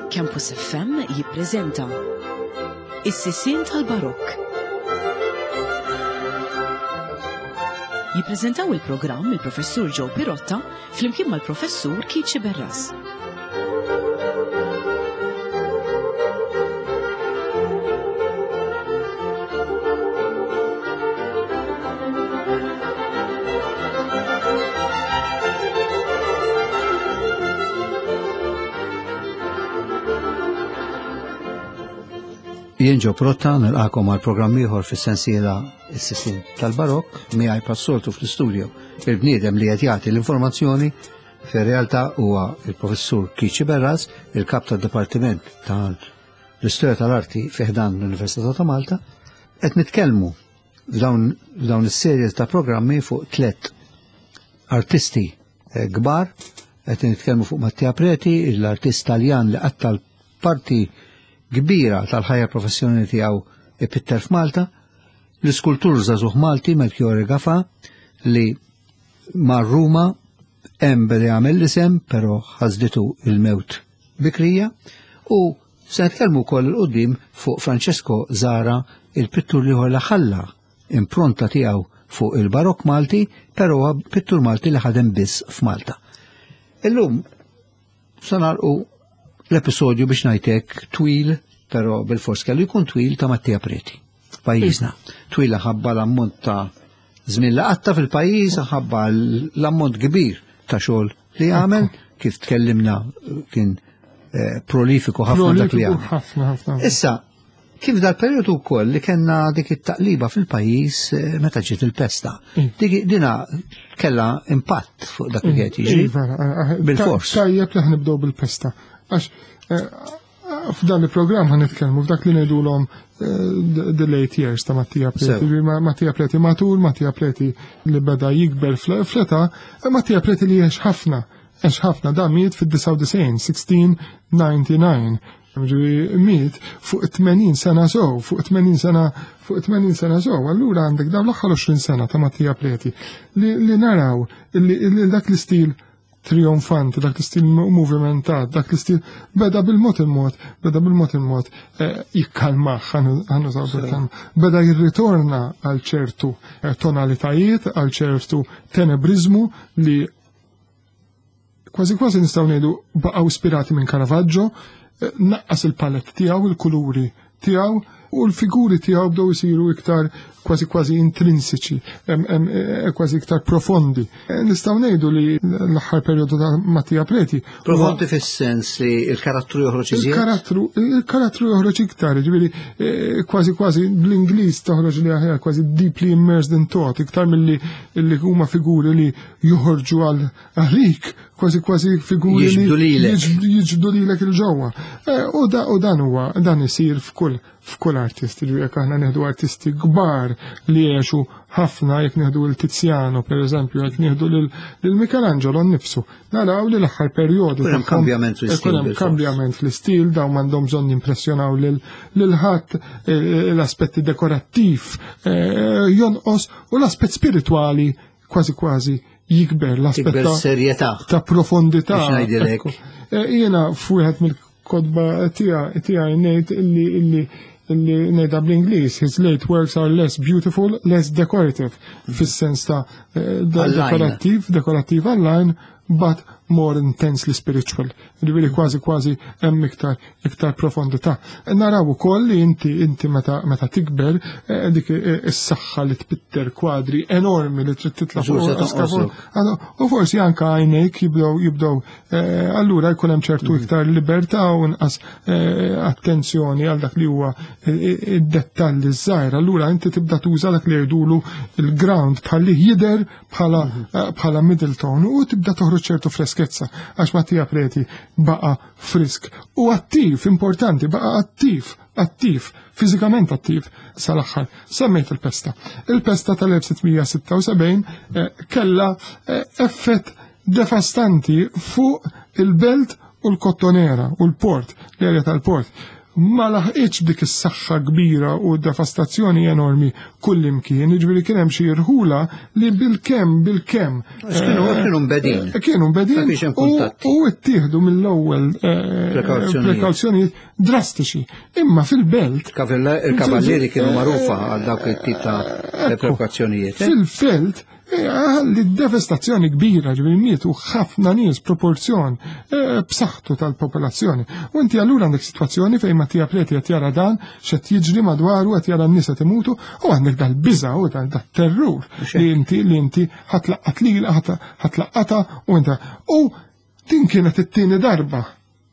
Campus FM jippreżenta Is-Sisien tal-Barokk. Jippreżentaw il-programm il-Professur Joe Pirotta flimkien mal-Professur Keith Sciberras. Jien Ġo Protta nilqakom għal programm ieħor fis-sensiela Is-Sisin tal-Barokk miegħi passoltu fl-istudio il-bniedem li qed jagħti l-informazzjoni fir-realtà huwa il-Professur Kiċi Berras, il-kap tad-Dipartiment tal-Istorja tal-Arti fi ħdan l-Università ta' Malta. Qed nitkellmu f'dawn is-serje ta' programmi fuq tlet artisti eh, kbar, qed nitkellmu fuq Mattia Preti, l-artist Taljan li qatta parti kbira tal-ħajja professjonali tiegħu ipitter f'Malta, l-iskultur żagħżugħ Malti Melchiorre Gafa li mar Ruma hemm beda jagħmel l-isem però ħasditu il-mewt bikrija u se nitkellmu wkoll il qudiem fuq Francesco Zara il-pittur liħor li ħalla impronta tiegħu fuq il-Barokk Malti, però pittur Malti li ħadem biss f'Malta. Illum se nagħlqu l-episodju biex ngħidlek twil, però bil-fors kellu jkun twil ta' Mattia Preti. Pajjiżna. Twil ħabba l-ammont ta' żmien li qatta fil-pajjiż, ħabba l-ammont kbir ta' xogħol li għamel, kif tkellimna kien eh, prolifiku ħafna dak li għamel. Issa, Kif dal-periodu wkoll li kellna dik it-taqliba fil-pajjiż eh, meta ġiet il-pesta. Mm. Dik dina kellha impatt fuq dak li mm. qed jiġri. Iva, eh, eh, bil-fors. Tajjeb li ħnibdew bil-pesta. Għax f'dan il-programm ħan nitkellmu f'dak li ngħidulhom the late years ta' Mattia Preti. Mattia Preti matur, Mattia Preti li beda jikber fl-età, Mattia Preti li għex ħafna, għex ħafna da miet fid-99, 1699. Ġifieri miet fuq 80 sena sew, fuq 80 sena, fuq 80 sena sew. Allura għandek dawn l-aħħar 20 sena ta' Mattia Preti li, li naraw li, li dak l-istil trionfanti, dak l-istil movimentat, dak l-istil beda bil-mod il-mod, beda bil-mod il-mod eh, jikkalmaħ, ħanużaw bil beda jirritorna għal ċertu eh, tonalitajiet, għal ċertu tenebrizmu li Kważi kważi nistgħu ngħidu baqgħu ispirati minn Caravaggio, eh, naqqas il-palett tiegħu, il-kuluri tiegħu u l-figuri tiegħu bdew isiru iktar kważi kważi intrinsiċi, eh, kważi iktar profondi. Eh, nistgħu ngħidu li l-aħħar perjodu ta' Mattia Preti. Profondi fis-sens li l-karattru joħroġ iżjed? Il-karattru il-karattru joħroġ iktar, ġifieri kważi kważi bl-Ingliż toħroġ li aħjar kważi deeply immersed in thought, iktar milli li huma figuri li joħorġu għal għalik kważi kważi figuri jiġbdu lilek jiġbdu lilek il-ġewwa. Eh, u dan huwa dan isir f'kull f'kull artist, ġifieri jekk aħna nieħdu artisti kbar li għexu ħafna jekk nieħdu l Tiziano pereżempju, jekk nieħdu lil Michelangelo nnifsu, naraw li l-aħħar perjodu hemm kambjament fl-istil. Hemm kambjament fl-istil dawn m'għandhom bżonn jimpressjonaw lil ħadd eh, eh, l-aspetti dekorattiv jonqos u l-aspett spiritwali kważi kważi jikber l-aspett ta' serjetà ta' profondità. Eh, jiena f'wieħed mill-kodba tiegħi ngħid illi illi illi ngħidha bl-Ingliż, his late works are less beautiful, less decorative, fis-sens ta' eh, dekorattiv, dekorattiv għall-għajn, but more intensely spiritual. Ġifieri kważi kważi hemm iktar iktar profondità. Naraw ukoll li inti inti meta meta tikber eh, dik eh, is-saħħa li tpitter kwadri enormi li trid titla' fuq U forsi anke għajnejk jibdew jibdew eh, allura jkun hemm ċertu mhm. iktar libertà u nqas attenzjoni għal dak li huwa id-dettalli żgħir. Allura inti tibda tuża dak li jgħidulu il-ground bħalli jidher bħala mhm. eh, bħala middle tone u tibda toħroġ ċertu freskezza għax Mattia Preti baqa frisk u attiv, importanti, baqa attiv, attiv, fiżikament attiv sal-aħħar. Semmejt il-pesta. Il-pesta tal-1676 eh, kella eh, effett devastanti fuq il-belt u l-kottonera u l-port, l-erja tal-port. Ma laħqitx dik is-saħħa kbira u devastazzjoni enormi kullimkien, jiġifieri kien hemm xi rħula li bilkemm bilkemm. Kienu mbedin. Kienu mbedin u ttieħdu mill-ewwel prekawzjonijiet drastiċi. Imma fil-belt. Il-kavallieri kienu magħrufa għal dawk it-tip ta' prekawzjonijiet. Fil-belt Għalli devastazzjoni kbira, ġifieri mietu ħafna nies proporzjon b'saħħtu tal-popolazzjoni. U inti allura għandek sitwazzjoni fejn Mattia Preti qed jara dan x'qed jiġri madwaru, qed jara n-nies qed imutu, u għandek dal-biża' u dal-terrur li inti li inti ħatlaqqat lilha, ħatlaqqatha u inta. U din kienet it-tieni darba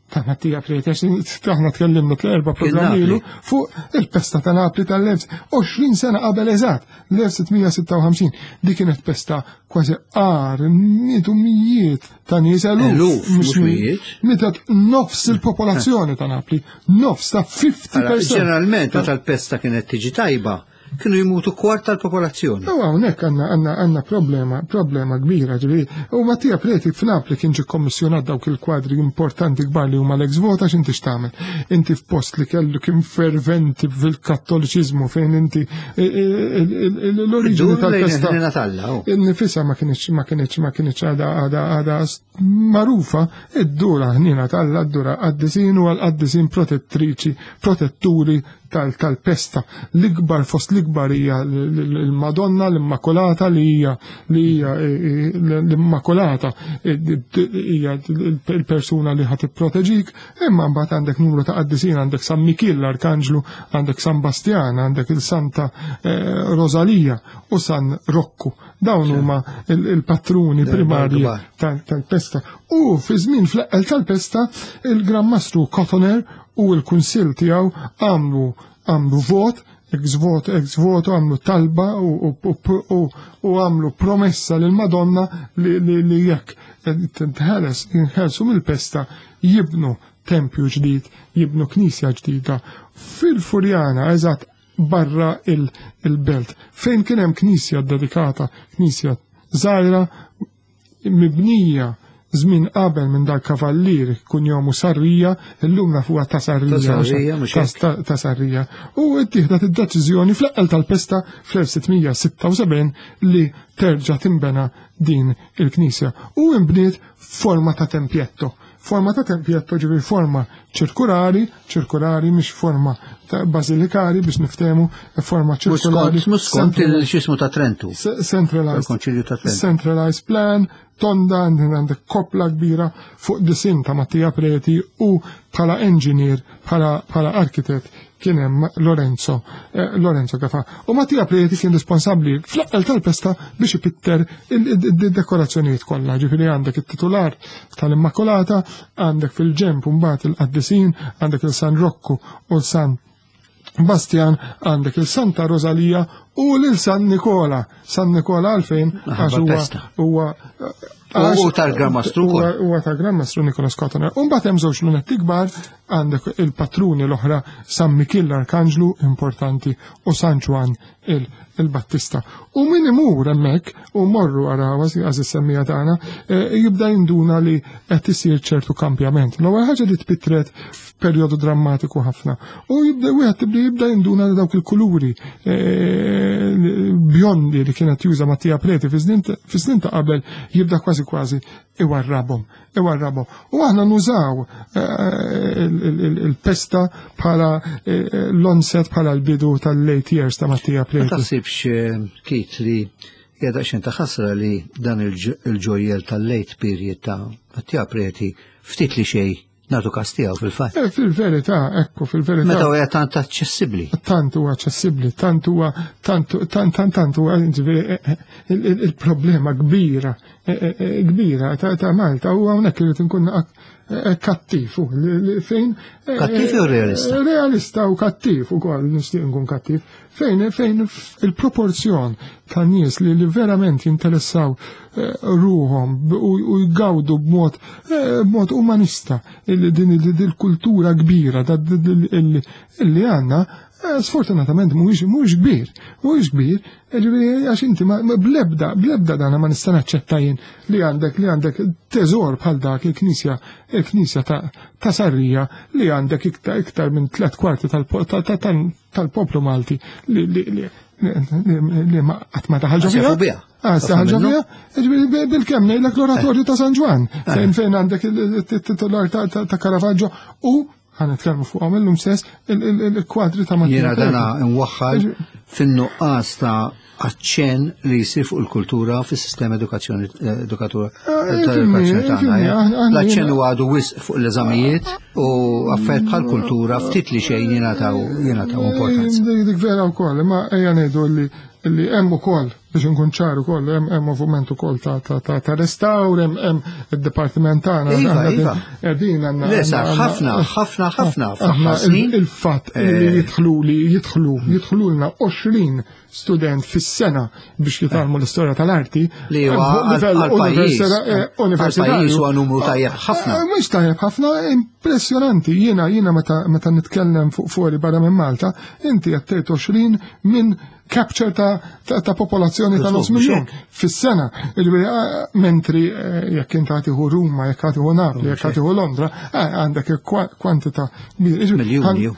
ta' Mattia Preti, għax aħna tkellimna tl-erba' programmi ilu fuq il-pesta ta' Napli tal-1020 sena qabel eżatt, l-1656. Di kienet pesta kważi qar, mietu mijiet ta' nies, eluf, mhux mijiet. Mietet nofs il-popolazzjoni ta' Napli, nofs ta' 50%. Ġeneralment meta l-pesta kienet tiġi tajba, kienu jmutu kwart tal-popolazzjoni. U hawnhekk għandna problema, problema kbira, ġifieri. U Mattia Preti f'Napli kien ġie kommissjonat dawk il-kwadri importanti kbar li huma l-ex voto, għax inti x'tagħmel? Inti f'post li kellu kien ferventi fil-Kattoliċiżmu fejn inti l-oriġini tal-pesta. Nifisha ma kienx ma kienx ma kienx għada għada għada magħrufa, id-dura ħnina t'Alla, id-dura qaddisin u għal-qaddisin protettriċi, protetturi tal-pesta. L-ikbar fost l-ikbar hija l-Madonna, l-Immakulata, li hija li hija l-Immakulata hija il-persuna li ħad tipproteġik, imma mbagħad għandek numru ta' qaddisin, għandek San Mikiel l-Arkanġlu, għandek San Bastjan, għandek il-Santa Rosalija u San Rocco. Dawn huma il-patruni primarji tal-pesta. U fi żmien fl-eqqel tal-pesta, il-Gran Mastru Cotoner u l-Kunsill tiegħu għamlu vot, ex voto, ex voto, għamlu talba u għamlu promessa lil Madonna li jekk tinħeles, jinħelsu mill-pesta, jibnu tempju ġdid, jibnu knisja ġdida fil-Furjana, eżatt barra il-belt, fejn kien hemm knisja dedikata, knisja żgħira mibnija żmien qabel minn dal-kavallier kun jomu Sarrija, illum nafuha ta' Sarrija, Ta' Sarrija, mhux hekk. ta' Sarrija. U ttieħdet id-deċiżjoni fl-eqqel tal-pesta fl-1676 li terġa' timbena din il-knisja u imbniet forma ta' tempjetto. Forma ta' tempjetto ġifieri forma ċirkulari, ċirkulari mhix forma ta' basilikari biex niftehmu, forma ċirkulari. Mhux skont il-xismu ta' Trentu. Centralized. Il-Konċilju ta' Trentu. Centralized plan, tonda, għandek koppla kbira fuq disin ta' Mattia Preti u bħala engineer, bħala arkitett kien hemm Lorenzo Gafa. U Mattia Preti kien responsabbli fl-eqqel tal-pesta biex ipitter il-dekorazzjonijiet kollha. Ġifieri għandek it-titular tal-Immakulata, għandek fil-ġemp mbagħad il-qaddisin, għandek il-San Rocco u l-San Bastian, għandek il-Santa Rosalia u l-San Nikola. San Nikola għalfejn? Għax Għax pesta. huwa U tal-Gran Mastru wkoll. Huwa tal-Gran Mastru Nikolas Cotoner. U mbagħad hemm żewġ lunetti kbar, għandek il-patruni l-oħra San Mikiel l-Arkanġlu importanti u San Ġwann il-Battista. U min imur hemmhekk u morru ara għaż is-semmija tagħna, jibda jinduna li qed isir ċertu kampjament. L-ewwel ħaġa li tpittret f'perjodu drammatiku ħafna. U jibda wieħed tibda jibda jinduna li dawk il-kuluri bjondi li kienet juża Mattia Preti fi snin ta' qabel jibda kważi kważi iwarrabhom, iwarrabhom. U aħna nużaw il-pesta bħala l-onset, bħala l-bidu tal-late years ta' Mattia Ma Preti. taħsibx Keith, li hija daqsxejn ta' ħasra li dan il-ġojjel tal-late period ta' Mattia Preti ftit li xejn nagħtu kas tiegħu fil-fatt? Fil-verità, ekku, fil-verità. Meta huwa tant aċċessibbli. Tant huwa aċċessibbli, tant huwa, tant, tant, tant, tant huwa, ġifieri, il-problema kbira ta' Malta huwa hawnhekk irid inkun kattiv, u li fejn Kattiv jew realista? Realista u kattiv ukoll, nixtieq nkun kattiv. Fejn il-proporzjon ta' nies li verament jinteressaw ruhom u jgawdu b'mod umanista din il-kultura kbira li għandna. Eh, sfortunatament mhuwiex mhuwiex kbir, mhuwiex kbir, eh, ġifieri għax inti blebda blebda dana ma nista' naċċetta jien li għandek li għandek teżor bħal dak il-knisja il-knisja ta' Sarrija li għandek iktar iktar minn tliet kwarti tal-poplu Malti li li ma qatt ma daħal ġo fiha. Ah, ġo fiha, ġifieri bil-kemm ngħidlek l-oratorju ta' San Ġwann, eh. fejn fejn għandek il-titular ta' Caravaggio u ħa nitkellmu fuqhom illum stess il-kwadri ta' Mattia. Jiena dana nwaħħal fin-nuqqas ta' aċċen li jsir fuq il-kultura fis-sistema edukazzjoni eh, edukatura eh, tal-edukazzjoni tagħna. Eh. L-aċċen huwa għadu wisq fuq l-eżamijiet u affarijiet bħal kultura ftit li xejn jingħataw jingħataw importanza. Dik vera wkoll, imma ejja ngħidu li li hemm ukoll biex inkun ċar ukoll hemm hemm moviment ukoll ta' ta' ta' ta' restawr, hemm hemm id-dipartiment tagħna. Iva, iva. Qegħdin għandna. Le sar ħafna, ħafna, ħafna fl-aħħar snin. Il-fatt li eh. jidħlu li jidħlu jidħlulna 20 student fis-sena biex jitgħallmu l-istorja tal-arti. Li huwa għall-pajjiż. Eh, universitarju huwa numru tajjeb ħafna. Eh, mhux tajjeb ħafna, impressjonanti. Jiena jiena meta nitkellem fuq fuori barra minn Malta, inti qed tgħid 20 minn capture ta', ta, ta popolazzjoni ta' nofs miljon fis-sena. Mentri eh, jekk inti għatiħu Ruma, jekk għatiħu Napli, jekk għatiħu Londra, eh, għandek kwantità Miljoni.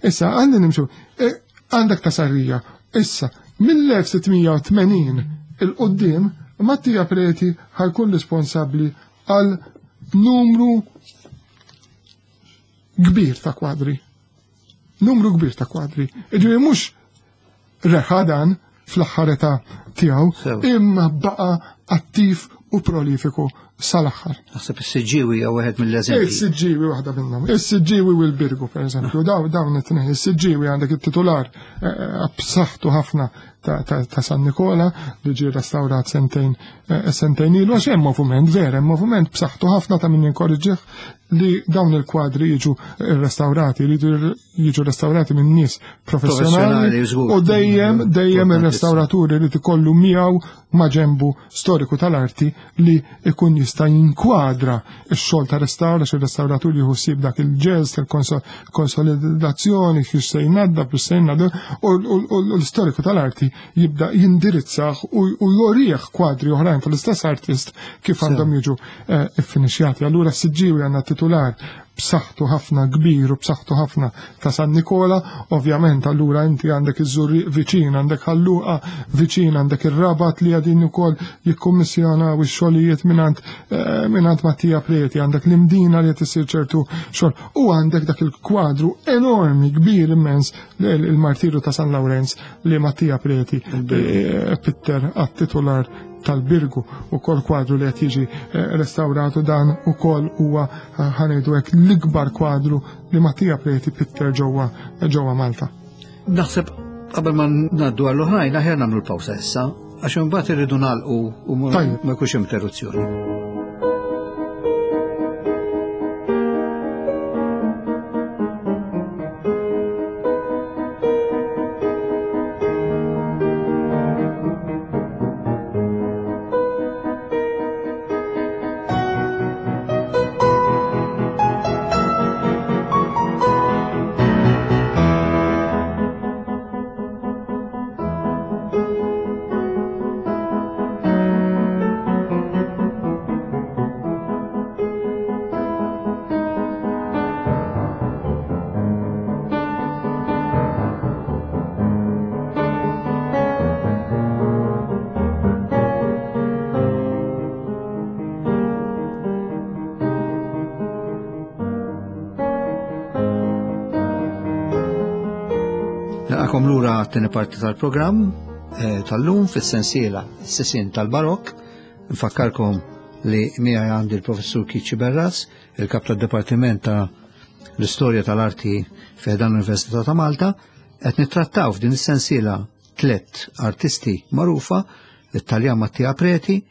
Issa, għalli nimxu, eh, għandek ta' sarrija. Issa, mill-1680 il-qoddim, Mattia Preti ħajkun responsabbli għal numru kbir ta' kwadri. Numru kbir ta' kwadri. Iġifieri mhux reħa dan fl-aħħar età tiegħu, imma baqa' attiv u prolifiku sal-aħħar. Naħseb is-Siġġiewi jew wieħed mill-eżempji. Is-Siġġiewi waħda minnhom. Is-Siġġiewi u l-Birgu pereżempju, daw dawn it-tnejn. Is-Siġġiewi għandek it-titular eh, eh, b'saħħtu ħafna ta' San Nikola li ġie restawrat sentejn eh, sentejn ilu għax hemm moviment vera, hemm moviment b'saħħtu ħafna ta' min jinkorriġih li dawn il-kwadri jiġu restaurati, li jiġu restaurati minn nies professjonali u dejjem dejjem ir-restauraturi li tikollu miegħu ma' ġembu storiku tal-arti li ikun jista' jinkwadra x-xogħol ta' restawra xi restawratur jieħu ssib dak il-ġest, il-konsolidazzjoni, kif se jnaddaf, kif se jnaddaf, u l-istoriku tal-arti jibda jindirizzah u jorih kwadri oħrajn tal-istess artist kif għandhom jiġu eh, iffinixjati. Allura s-siġġiwi għandna titular b'saħħtu ħafna kbir u b'saħħtu ħafna ta' San Nikola, ovvjament allura inti għandek iż-Żurrieq viċin, għandek Ħalluqa viċin, għandek ir-Rabat li għadin ukoll jikkummissjonaw ix-xogħlijiet mingħand eh, mingħand Mattia Preti, għandek l-Imdina li qed isir ċertu xogħol u għandek dak il-kwadru enormi kbir immens il-martiru ta' San Lawrenz li Mattia Preti eh, pitter għat-titular tal-Birgu u kol kwadru li qed jiġi eh, restawratu dan ukoll huwa eh, ħanejdu hekk l-ikbar kwadru li Mattia Preti pitter ġewwa ġewwa Malta. Naħseb qabel ma ngħaddu għall-oħrajn aħjar nagħmlu l-pawsa issa għax imbagħad irridu nagħlqu u ma jkunx interruzzjoni. Naqakom lura għat-tieni parti tal-programm eh, tal-lum fis-sensiela s-sisin tal-Barok. Nfakkarkom li miegħi għandi l-professur Kiċi Berras, il-kap tad-Dipartiment ta' l-Istorja tal-Arti fi dan l-Università ta' Malta, qed nittrattaw f'din is-sensiela tlett artisti magħrufa, it-Taljan Mattia Preti,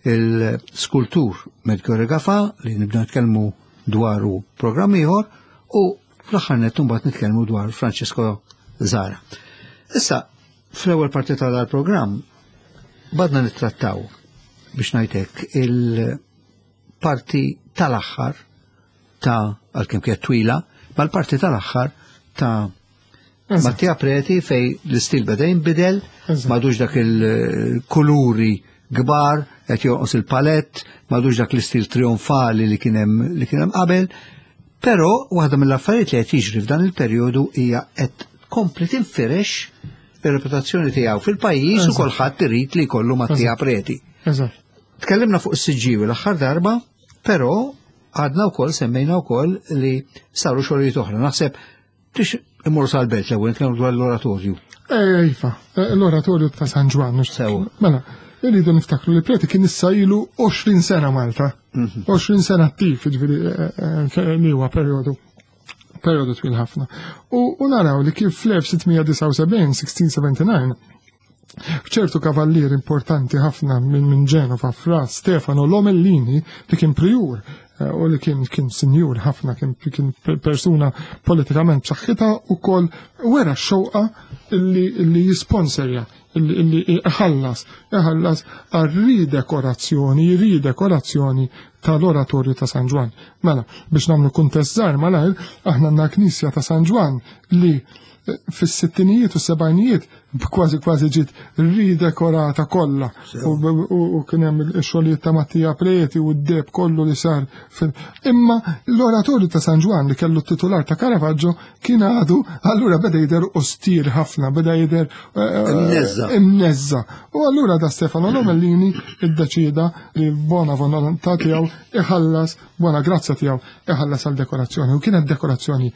il-skultur Melchiorre Gafa li nibda nitkellmu dwaru programm ieħor u fl-aħħar nett imbagħad nitkellmu dwar Francesco Zara. Issa, fl-ewwel parti tal-programm badna nittrattaw biex ngħidlek il-parti tal-aħħar ta' għalkemm kienet twila, ma l-parti tal-aħħar ta' Mattia Preti fej l-istil beda jinbidel, madux dak il-kuluri kbar, qed jonqos il-palett, madux dak l-istil trionfali li kien hemm li kien hemm qabel. Però waħda mill-affarijiet li qed jiġri f'dan il-perjodu hija qed tkompli tinfirex ir-reputazzjoni tiegħu fil-pajjiż u kulħadd irid li jkollu Mattia Preti. Tkellimna fuq is-Siġġiewi l-aħħar darba, però għadna wkoll semmejna wkoll li saru xogħlijiet oħra. Naħseb Tix immorru sal-belt l-ewwel nitkellmu dwar l-oratorju. Eh, iva, eh, l-oratorju ta' San Ġwann. Sew. Mela, irridu niftakru li Preti kien issa ilu 20 sena Malta. 20 mhm. sena attiv, ġifieri eh, li huwa perjodu perjodu twil ħafna. U naraw li kif fl-1679, 1679, ċertu kavallier importanti ħafna minn min Ġenova fra Stefano Lomellini li kien prijur eh, u li kien kien sinjur ħafna kien, kien persuna politikament b'saħħitha u kol wera xewqa illi, illi jisponserja illi iħallas iħallas għal ridekorazzjoni ridekorazzjoni tal-oratorju ta' San Ġwann. Mela, biex nagħmlu kuntest żgħar malajr, aħna għandna knisja ta' San Ġwann li fis-sittinijiet u s-sebgħinijiet kważi kważi ġiet ridekorata kollha u kien hemm ix-xogħlijiet ta' Mattia Preti u d-deb kollu li sar. Imma l-oratorju ta' San Ġwann li kellu t-titular ta' Caravaggio kien għadu allura beda jidher ostir ħafna, beda jidher eh, imneżża. U allura da Stefano Lomellini iddeċieda li bona volontà tiegħu iħallas Buona grazzja tiegħu iħallas għal dekorazzjoni u kienet dekorazzjoni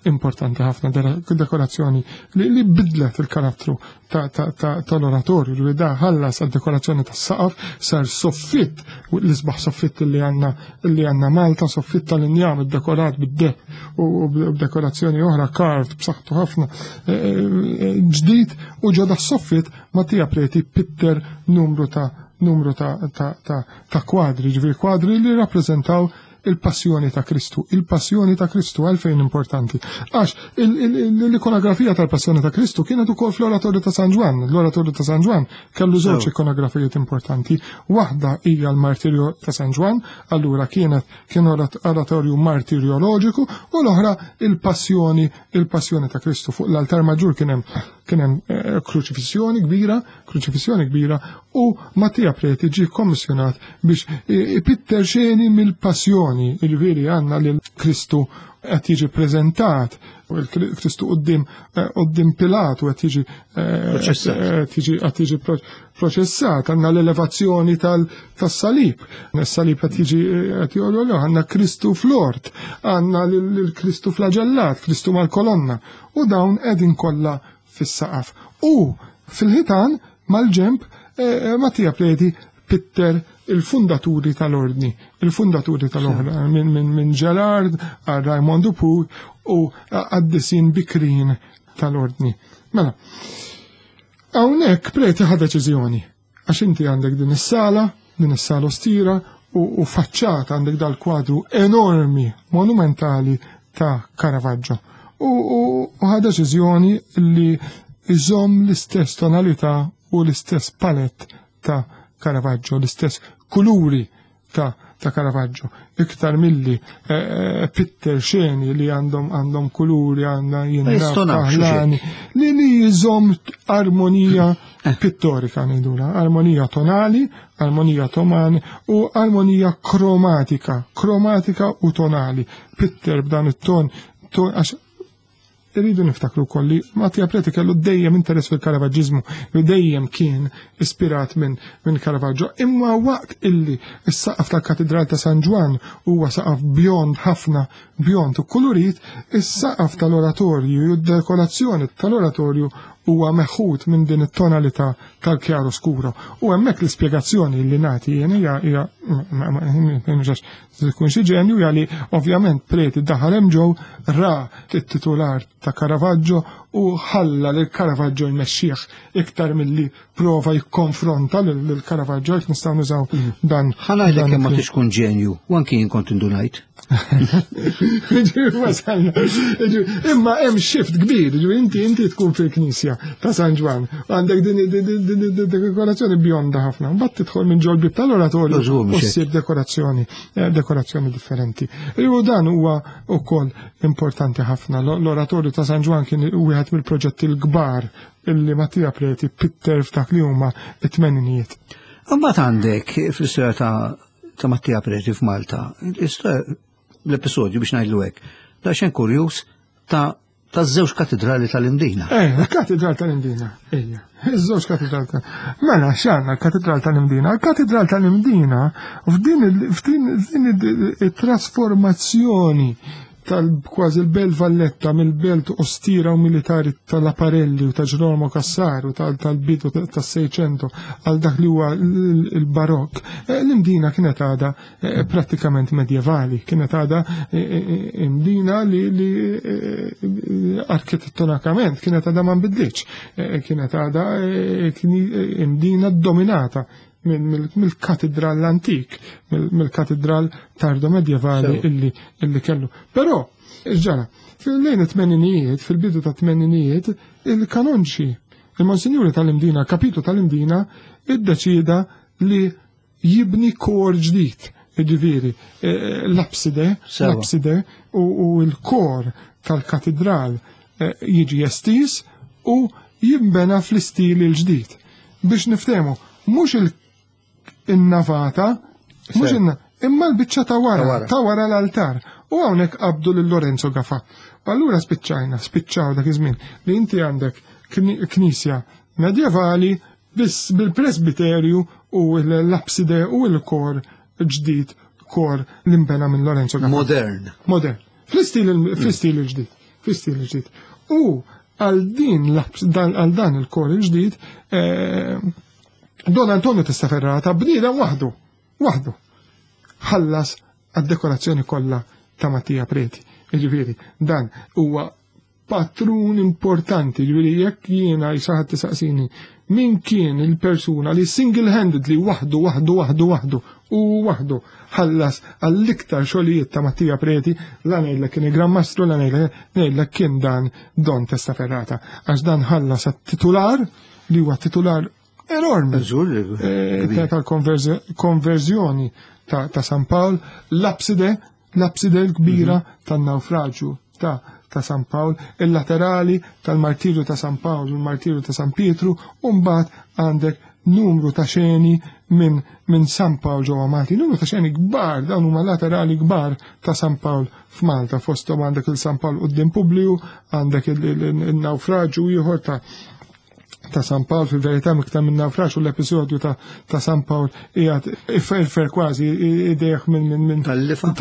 importanti ħafna, dekorazzjoni li bidlet il-karattru tal-oratorju li da ħallas għal dekorazzjoni tas-saqaf sar soffitt l-isbaħ soffitt li għandna li għandna Malta, soffitt tal-injam iddekorat bid-deb u b'dekorazzjoni oħra carved b'saħħtu ħafna e, e, e, ġdid u ġoda soffitt Mattia Preti pitter numru ta' numru ta' ta' ta' ta' kwadri, ġifieri kwadri li rappreżentaw il-passjoni ta' Kristu. Il-passjoni ta' Kristu għalfejn importanti. Għax l-ikonografija tal-passjoni ta' Kristu kienet ukoll fl-oratorju ta' San Ġwann. L-oratorju ta' San Ġwann kellu żewġ ikonografijiet importanti. Waħda hija l-martirju ta' San Ġwann, allura kienet kien oratorju martirjoloġiku, u l-oħra il-passjoni il-passjoni ta' Kristu. Fuq l-altar maġġur kien hemm kien hemm eh, kruċifissjoni kbira, kruċifissjoni kbira u Mattia Preti ġie kommissjonat biex ipitter xeni mill-passjoni, jiġifieri għandna lil Kristu qed jiġi preżentat il-Kristu qudiem eh, qudiem Pilatu qed jiġi eh, qed jiġi qed jiġi proċessat, għandna l-elevazzjoni tas-salib. Is-salib qed jiġi qed jogħlu għandna Kristu fl-ort, għandna lil Kristu flaġellat, Kristu mal-kolonna u dawn qegħdin kollha fis-saqaf. U fil-ħitan mal-ġemp eh, eh, Mattia Preti pitter il-fundaturi tal-ordni, il-fundaturi tal-oħra, minn min, min Gerard għal Raymond Dupuy u għaddisin bikrin tal-ordni. Mela, hawnhekk Preti ħa deċiżjoni. Għax inti għandek din is-sala, din is-sala ostira u, u faċċata għandek dal-kwadru enormi, monumentali ta' Caravaggio. U, u, u ħa deċiżjoni li iżomm l-istess tonalità u l-istess palett ta' Caravaggio, l-istess kuluri ta' ta' Caravaggio, iktar milli eh, eh, pitter xeni li għandhom għandhom kuluri għandha jinna li li jżomm armonija eh. pittorika ngħidula, armonija tonali, armonija tomani u armonija kromatika, kromatika u tonali. Pitter b'dan it-ton, għax Irridu niftakru wkoll li Mattia Preti kellu dejjem interess fil-Karavaġġiżmu, li dejjem kien ispirat minn min Caravaggio. Imma waqt illi s-saqaf tal-Katidral ta' San Ġwann huwa saqaf bjond ħafna, bjond u kulurit, is-saqaf tal-oratorju u d-dekorazzjoni tal-oratorju huwa meħud minn din it-tonalità tal-chiaro scuro. U hemmhekk l-ispjegazzjoni li nagħti jien hija hija Tkun xi ġenju hija li ovvjament Preti daħal hemm ġew ra t-titular ta' Caravaggio u ħalla lil Caravaggio jmexxih iktar milli prova jikkonfronta lil Caravaggio jekk nistgħu nużaw mm. dan. Ħa kemm ma tix tkun ġenju, u anki jien kont indunajt. Imma hemm shift kbir, inti inti tkun fil-knisja. il-knisja ta' San Ġwann. Għandek din dekorazzjoni bjonda ħafna. Mbagħad tidħol minn ġol bib tal-oratorju u ssib dekorazzjoni, eh, dekorazzjoni differenti. U dan huwa wkoll importanti ħafna. L-oratorju ta' San Ġwann kien wieħed mill-proġetti l-kbar illi Mattia Preti pitter f'dak li huma it-tmeninijiet. Mbagħad għandek fl-istorja ta' ta' Mattia Preti f'Malta, l-episodju biex ngħidlu hekk, daqsxejn kurjuż ta' ta' żewġ katedrali tal-Imdina. Eh, katedral tal-Imdina, ejja. Iż-żewġ katedral tal Mela, x'għandna l-katedral tal-Imdina? Il-katedral tal-Imdina f'din it-trasformazzjoni tal-kważi l-Belt Valletta mill-belt ostira u militari tal-Aparelli u ta' Ġerolmo Cassaro tal-bidu tas-Seicento għal dak li huwa l-Barokk, eh, l-Imdina kienet għadha eh, prattikament medjevali, kienet għadha eh, Imdina li arkitettonikament kienet għadha ma nbidlitx, kienet għadha Imdina dominata mill-katedral l-antik, mill-katedral tardo medjevali illi, illi kellu. Però, ġara, fil-lejn it-tmeninijiet, fil-bidu ta' tmeninijiet, il-kanonċi, il-monsinjuri tal-Imdina, kapitlu tal-Imdina, iddeċida li jibni kor ġdid, ġifieri, eh, l-abside, l-abside u l-kor tal-katedral eh, jiġi estis u jimbena fl-istil il-ġdid. Biex niftehmu, mhux il-navata, mhux imma l-biċċa ta' wara, ta' wara l-altar. U hawnhekk qabdu lil Lorenzo Gafa. Allura spiċċajna, spiċċaw dak iż-żmien li inti għandek knisja medjevali biss bil-presbiterju u l-abside u l-kor ġdid kor l-imbena minn Lorenzo Gafa. Modern. Modern. Fl-istil il-ġdid. Fl-istil il-ġdid. U għal din għal dan il-kor il-ġdid, eh, Don Antonio Testaferrata bniedem waħdu, waħdu, ħallas għad-dekorazzjoni kollha ta' Mattia Preti. Jiġifieri, dan huwa patrun importanti, ġifieri jekk jiena jisaħat tisaqsini min kien il-persuna li single-handedly waħdu, waħdu, waħdu, waħdu u waħdu ħallas għall-iktar xogħlijiet ta' Mattia Preti, la ngħidlek kien il-Gran Mastru, la ngħidlek kien dan Don Testaferrata, għax dan ħallas għat-titular li huwa titular enormi eh, tal-konverżjoni ta' San Pawl, l-abside, l-abside l-kbira mhm. tan-naufraġju ta' ta' San Pawl, il-laterali tal-martirju ta' San Pawl u l-martirju ta' San Pietru, u mbagħad għandek numru ta' xeni minn min San Pawl ġewwa Malti, numru ta' xeni kbar, dawn huma laterali kbar ta' San Pawl f'Malta, fosthom għandek il-San Pawl quddiem Publiju, għandek il-naufraġju ieħor ta' ta' San Pawl fil-verità miktar minn naufraġ u l-episodju ta', ta San Pawl qiegħed iferfer kważi idejh minn minn minn tal-lifa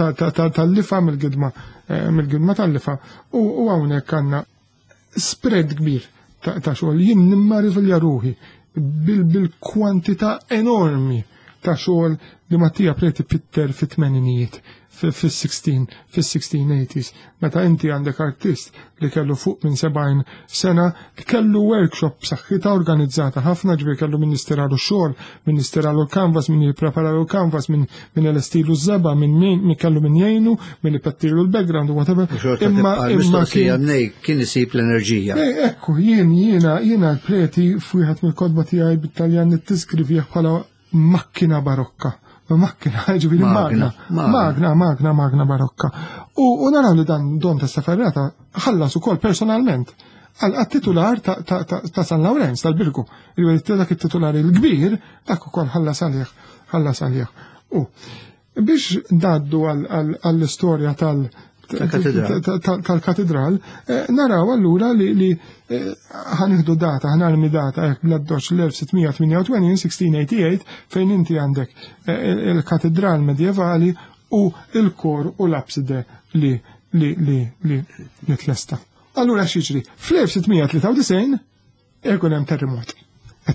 tal-lifa mill-gidma eh, mill-gidma tal-lifa u hawnhekk għandna spread kbir ta' xogħol. Jien nimmarvilja ruħi bil-kwantità enormi ta' xogħol li Mattia Preti pitter fit-tmeninijiet fis-16 fis-1680s. Meta inti għandek artist li kellu fuq minn 70 sena, kellu workshop b'saħħitha organizzata ħafna, ġifieri kellu min jistiralu x-xogħol, min jistiralu l-canvas, min jippreparalu l-canvas, min min elestilu ż-żebgħa, min min kellu min jgħinu, min ipettilu l-background u whatever. Imma imma kien kien isib l-enerġija. Eh, ekku, jien jiena jiena l-preti f'wieħed mill-kotba tiegħi bit-Taljan nittiskrivih bħala makkina barokka. Makkina, ġifieri magna, magna, magna, magna barokka. U naraw li dan Don Testaferrata ħallas ukoll personalment għal-titular ta' San Lawrenz tal-Birgu. Ġifieri dak it-titular il-kbir, dak ukoll ħallas għalih, ħallas għalih. U biex ngħaddu għall-istorja tal- tal-katedral, eh, naraw allura li eh, ħaniħdu data, ħanarmi data, jekk bl-addoċ l-1688, 1688, fejn inti għandek eh, il-katedral medjevali u il-kor u l-abside li li li li nitlesta. Allura x'jiġri? Fl-1693 ikun hemm terremot.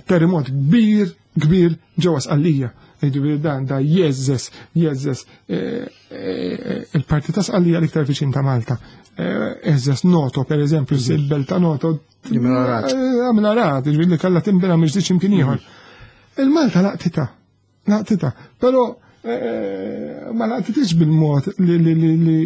Terremot kbir, kbir ġewwa Sqallija. Jiġifieri dan da jeżżes, jeżżes eh, eh, il-parti ta' Sqallija l-iktar viċin ta' Malta. Eżżes eh, Noto, per eżempju, mhm. il-belt ta' Noto. Għamil arat, jiġifieri li kellha tinbena mhux imkien ieħor. Mhm. Il-Malta laqtita, laqtita. Però eh, ma laqtitix bil-mod li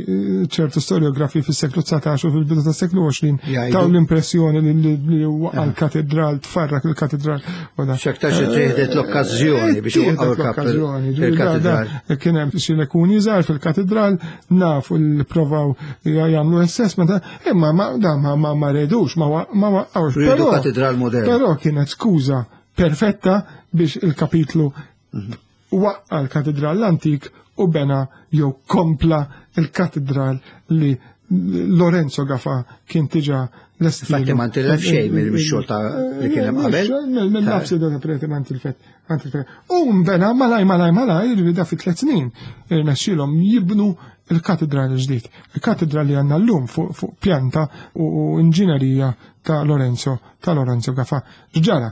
ċertu storiografi fis-seklu 19 u fil-bidu tas-seklu 20 taw l-impressjoni li waqa' l-katedral, tfarrak il-katedral. X'aktarx tieħdet l-okkażjoni biex waqgħu l-okkażjoni. Il-katedral. Kien hemm xi lekuni żgħar fil-katedral, nafu li provaw jagħmlu assessment, imma ma ma ma redux, ma waqgħux. Riedu katedral modern. Però kienet skuża perfetta biex il-kapitlu mhm. waqqa l-katedral l-antik u bena jew kompla il-katedral li Lorenzo Gafa kien tiġa l-estil. Infatti ma ntilef xejn mill-xogħol ta' li kien hemm qabel. Mill-nafsi da preti ma ntilfet. U mbena malaj malaj malaj jiġifieri da fi tliet snin irnexxielhom jibnu il-katedral ġdid. Il-katedral li għandna llum fuq pjanta u inġinerija ta' Lorenzo ta' Lorenzo Gafa. Ġara,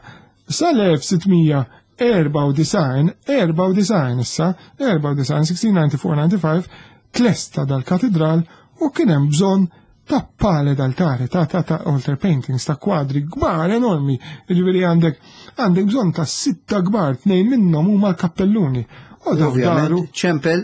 sal-1694, 94 issa, 94, 1694-95, tlesta dal-katedral u kien hemm bżonn ta' pale d'altare, ta' ta' ta' altar paintings, ta' kwadri kbar enormi, ġifieri għandek għandek bżonn ta' sitta kbar, tnejn minnhom huma l-kappelluni. U daru ċempel,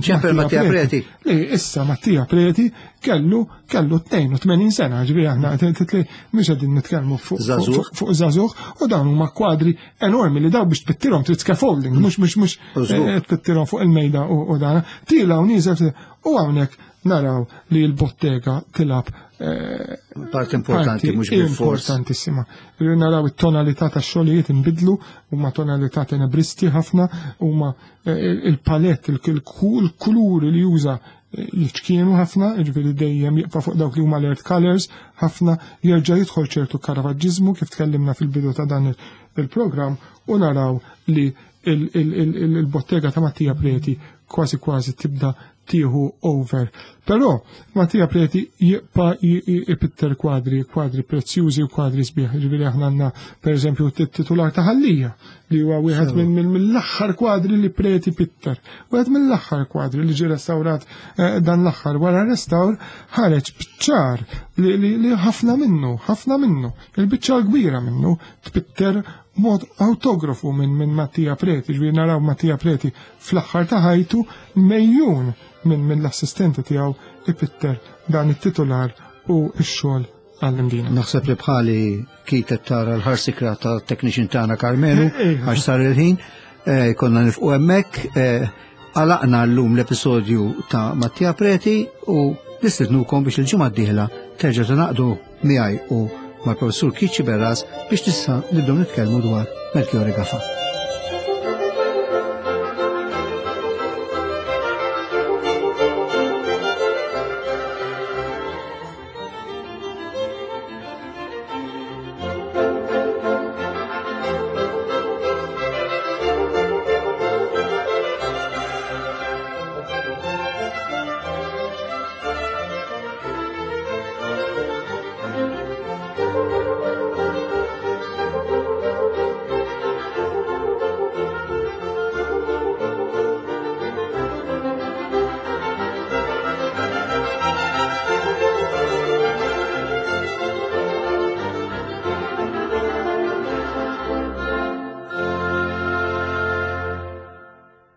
ċempel Mattia Preti. Li issa Mattia Preti kellu kellu 82 sena, ġifieri aħna mhux qegħdin nitkellmu fuq żagħżugħ u dawn huma kwadri enormi li daw biex tpittirhom trid scaffolding, mhux mhux mhux eh, tpittirhom fuq il-mejda u dan. Tila u nieżel u hawnhekk naraw li l-bottega tilab eh, Part importanti, mhux bil-fors. Importantissima. Naraw it-tonalità tax-xogħlijiet inbidlu, huma tonalità tenebristi ħafna, huma eh, il-palett, il-kuluri li juża jiċkienu ħafna, jiġifieri dejjem jibqa' fuq dawk li huma alert colors, ħafna jerġa' jidħol ċertu karavaġġiżmu kif tkellimna fil-bidu ta' dan il-programm u naraw li il-bottega ta' Mattia Preti kważi kważi tibda tieħu over. Però Mattia Preti jibqa' ipitter kwadri, kwadri prezzjużi u kwadri sbieħ. Ġifieri aħna għandna pereżempju t-titular ta' Ħallija li huwa wieħed mill-aħħar kwadri li Preti pitter. Wieħed mill-aħħar kwadri li ġie restawrat eh, dan l-aħħar wara restawr ħareġ biċċar li ħafna minnu, ħafna minnu, il-biċċa kbira minnu tpitter mod autografu minn min Mattia Preti, ġifieri naraw Mattia Preti fl-aħħar ta' ħajtu mejjun minn min l-assistenti tiegħu ipitter dan it-titular u x-xogħol għall-imdina. Naħseb li bħali kitet tara l-ħarsikra ta' technician tagħna Karmenu eh, eh. għax sar il-ħin, eh, konna nifqu hemmhekk, għalaqna llum l-episodju ta' Mattia Preti u nistednukom biex il-ġimgħa d-dieħla terġa' tingħaqdu miegħi u mal-professur Kiċi Berras biex tista' nibdew nitkellmu dwar Melchiorre Gafa.